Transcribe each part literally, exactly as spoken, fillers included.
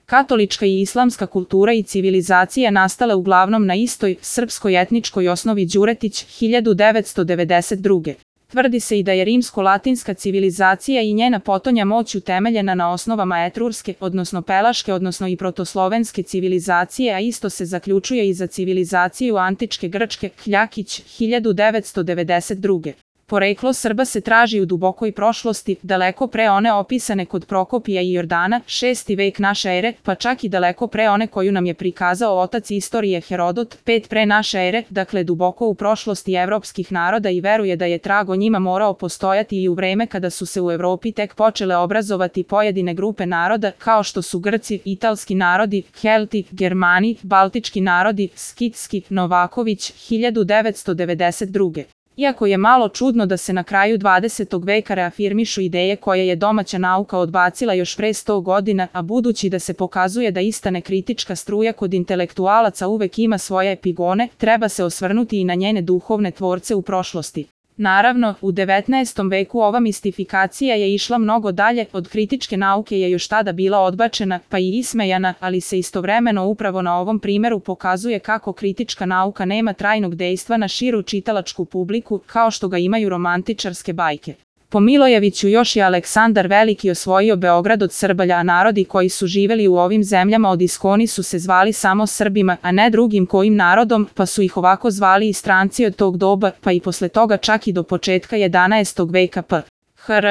Katolička i islamska kultura i civilizacija nastale uglavnom na istoj srpskoj etničkoj osnovi. Đuretić, hiljadu devetsto devedeset druge. Tvrdi se i da je rimsko-latinska civilizacija i njena potonja moć utemeljena na osnovama etrurske, odnosno pelaške, odnosno i protoslovenske civilizacije, a isto se zaključuje i za civilizaciju antičke Grčke. Kljakić, hiljadu devetsto devedeset druge. Poreklo Srba se traži u dubokoj prošlosti, daleko pre one opisane kod Prokopija i Jordana, šesti vek naše ere, pa čak i daleko pre one koju nam je prikazao otac istorije Herodot, pet pre naše ere, dakle duboko u prošlosti evropskih naroda, i veruje da je trag o njima morao postojati i u vreme kada su se u Evropi tek počele obrazovati pojedine grupe naroda, kao što su Grci, italski narodi, Kelti, Germani, baltički narodi, Skitski. Novaković, hiljadu devetsto devedeset druge. Iako je malo čudno da se na kraju dvadesetog veka reafirmišu ideje koje je domaća nauka odbacila još pre sto godina, a budući da se pokazuje da ista nekritička struja kod intelektualaca uvek ima svoje epigone, treba se osvrnuti i na njene duhovne tvorce u prošlosti. Naravno, u devetnaestom veku ova mistifikacija je išla mnogo dalje, od kritičke nauke je još tada bila odbačena, pa i ismejana, ali se istovremeno upravo na ovom primeru pokazuje kako kritička nauka nema trajnog dejstva na širu čitalačku publiku, kao što ga imaju romantičarske bajke. Po Milojeviću još je Aleksandar Veliki osvojio Beograd od Srbalja, a narodi koji su živeli u ovim zemljama od iskoni su se zvali samo Srbima, a ne drugim kojim narodom, pa su ih ovako zvali i stranci od tog doba, pa i posle toga čak i do početka jedanaestog veka p. hr.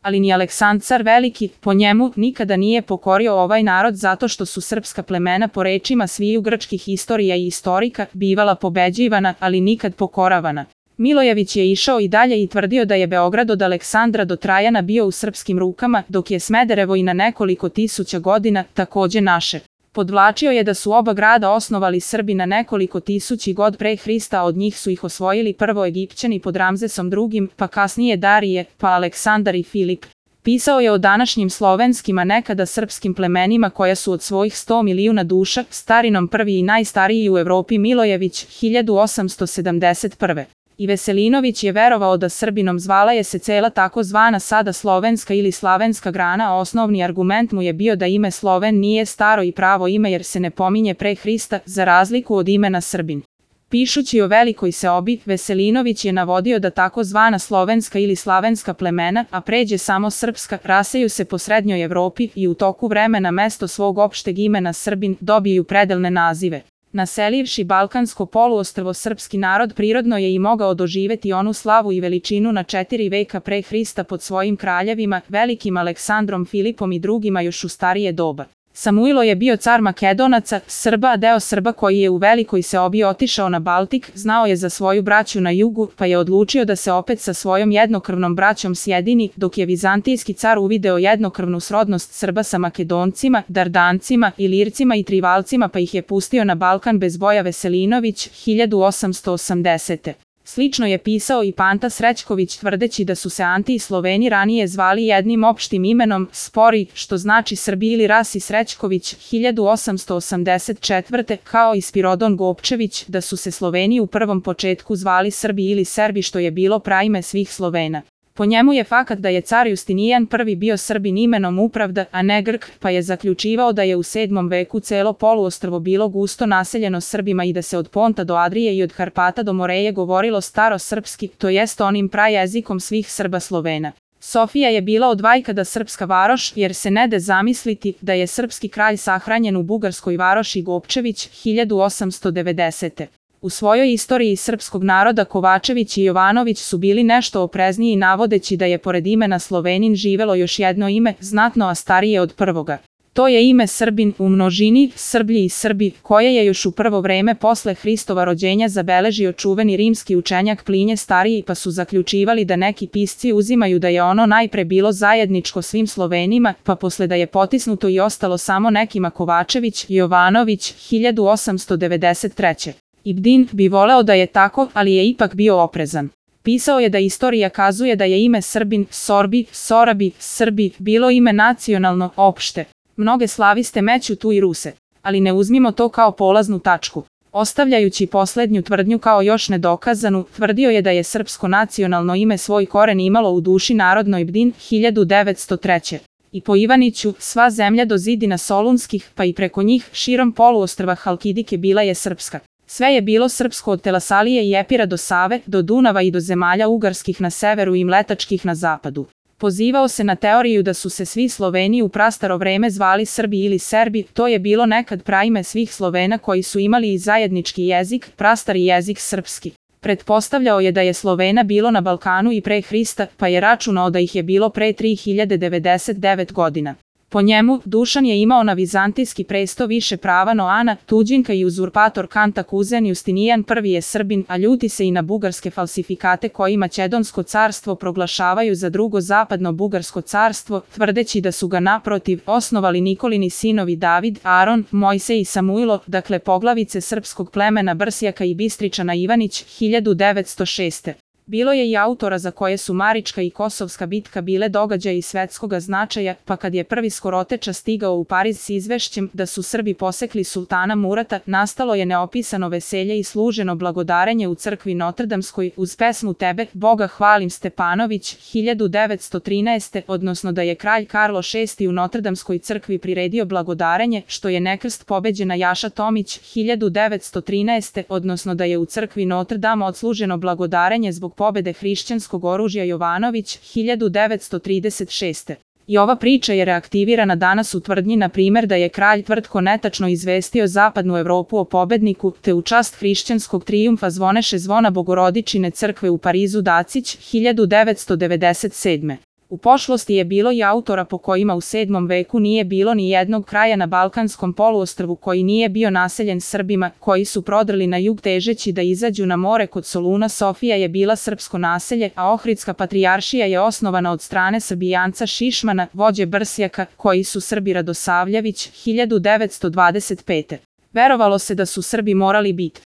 Ali ni Aleksandar Veliki, po njemu, nikada nije pokorio ovaj narod zato što su srpska plemena po rečima sviju grčkih istorija i istorika bivala pobeđivana, ali nikad pokoravana. Milojević je išao i dalje i tvrdio da je Beograd od Aleksandra do Trajana bio u srpskim rukama, dok je Smederevo i na nekoliko tisuća godina takođe naše. Podvlačio je da su oba grada osnovali Srbi na nekoliko tisući god pre Hrista, a od njih su ih osvojili prvo Egipćani pod Ramzesom drugim, pa kasnije Darije, pa Aleksandar i Filip. Pisao je o današnjim slovenskim, a nekada srpskim plemenima koja su od svojih sto milijuna duša, starinom prvi i najstariji u Evropi. Milojević, hiljadu osamsto sedamdeset prve. I Veselinović je verovao da Srbinom zvala je se cela tako zvana sada slovenska ili slavenska grana, a osnovni argument mu je bio da ime Sloven nije staro i pravo ime jer se ne pominje pre Hrista, za razliku od imena Srbin. Pišući o velikoj seobi, Veselinović je navodio da tako zvana slovenska ili slavenska plemena, a pređe samo srpska, raseju se po srednjoj Evropi i u toku vremena mesto svog opšteg imena Srbin dobiju predelne nazive. Naselivši Balkansko poluostrvo, srpski narod prirodno je i mogao doživeti onu slavu i veličinu na četiri veka pre Hrista pod svojim kraljevima, velikim Aleksandrom, Filipom i drugima još u starije doba. Samuilo je bio car Makedonaca, Srba, a deo Srba koji je u velikoj seobi otišao na Baltik, znao je za svoju braću na jugu, pa je odlučio da se opet sa svojom jednokrvnom braćom sjedini, dok je vizantijski car uvideo jednokrvnu srodnost Srba sa Makedoncima, Dardancima, Ilircima i Trivalcima, pa ih je pustio na Balkan bez boja. Veselinović, hiljadu osamsto osamdesete. Slično je pisao i Panta Srećković, tvrdeći da su se Anti i Sloveni ranije zvali jednim opštim imenom Spori, što znači Srbi ili Rasi. Srećković, hiljadu osamsto osamdeset četvrte. Kao i Spirodon Gopčević, da su se Sloveni u prvom početku zvali Srbi ili Serbi, što je bilo praime svih Slovena. Po njemu je fakat da je car Justinijan prvi bio Srbin imenom Upravda, a ne Grk, pa je zaključivao da je u sedmom veku celo poluostrvo bilo gusto naseljeno Srbima i da se od Ponta do Adrije i od Karpata do Moreje govorilo starosrpski, to jest onim prajezikom svih Srba Slovena. Sofija je bila od vajkada srpska varoš, jer se ne de zamisliti da je srpski kralj sahranjen u bugarskoj varoši. Gopčević, hiljadu osamsto devedesete. U svojoj istoriji srpskog naroda Kovačević i Jovanović su bili nešto oprezniji, navodeći da je pored imena Slovenin živelo još jedno ime, znatno a starije od prvoga. To je ime Srbin, u množini Srblji i Srbi, koje je još u prvo vreme posle Hristova rođenja zabeležio čuveni rimski učenjak Plinje Stariji, pa su zaključivali da neki pisci uzimaju da je ono najpre bilo zajedničko svim Slovenima, pa posle da je potisnuto i ostalo samo nekima. Kovačević, Jovanović, hiljadu osamsto devedeset treće. Ibdin bi voleo da je tako, ali je ipak bio oprezan. Pisao je da istorija kazuje da je ime Srbin, Sorbi, Sorabi, Srbi, bilo ime nacionalno, opšte. Mnoge slaviste meću tu i Ruse, ali ne uzmimo to kao polaznu tačku. Ostavljajući poslednju tvrdnju kao još nedokazanu, tvrdio je da je srpsko nacionalno ime svoj koren imalo u duši narodnoj. Ibdin, hiljadu devetsto treće. I po Ivaniću, sva zemlja do zidina Solunskih, pa i preko njih, širom poluostrva Halkidike bila je srpska. Sve je bilo srpsko od Telasalije i Epira do Save, do Dunava i do zemalja ugarskih na severu i mletačkih na zapadu. Pozivao se na teoriju da su se svi Sloveni u prastaro vreme zvali Srbi ili Serbi, to je bilo nekad praime svih Slovena koji su imali i zajednički jezik, prastari jezik srpski. Pretpostavljao je da je Slovena bilo na Balkanu i pre Hrista, pa je računao da ih je bilo pre tri hiljade devedeset devet godina. Po njemu, Dušan je imao na vizantijski presto više prava no Ana, tuđinka i uzurpator Kanta kuzen Justinijan prvi je Srbin, a ljuti se i na bugarske falsifikate koji Makedonsko carstvo proglašavaju za drugo zapadno bugarsko carstvo, tvrdeći da su ga naprotiv osnovali Nikolini sinovi David, Aron, Mojsej i Samuilo, dakle poglavice srpskog plemena Brsjaka i Bistričana Ivanić, hiljadu devetsto šeste. Bilo je i autora za koje su Marička i Kosovska bitka bile događaji svetskoga značaja, pa kad je prvi Skoroteča stigao u Pariz s izvešćem da su Srbi posekli sultana Murata, nastalo je neopisano veselje i služeno blagodarenje u crkvi Notrdamskoj uz pesmu Tebe, Boga hvalim Stepanović, hiljadu devetsto trinaeste. odnosno da je kralj Karlo šesti u Notrdamskoj crkvi priredio blagodarenje, što je nekrst pobeđena Jaša Tomić, hiljadu devetsto trinaeste. odnosno da je u crkvi Notre Dame odsluženo blagodarenje zbog pobede hrišćanskog oružja Jovanović, hiljadu devetsto trideset šeste. I ova priča je reaktivirana danas u tvrdnji na primjer da je kralj Tvrtko netačno izvestio zapadnu Evropu o pobedniku, te u čast hrišćanskog trijumfa zvoneše zvona Bogorodičine crkve u Parizu Dacić, hiljadu devetsto devedeset sedme. U pošlosti je bilo i autora po kojima u sedmom veku nije bilo ni jednog kraja na Balkanskom poluostrvu koji nije bio naseljen Srbima, koji su prodrli na jug težeći da izađu na more kod Soluna. Sofija je bila srpsko naselje, a Ohridska patrijaršija je osnovana od strane Srbijanca Šišmana, vođe Brsjaka, koji su Srbi Radosavljević, hiljadu devetsto dvadeset pete. Verovalo se da su Srbi morali biti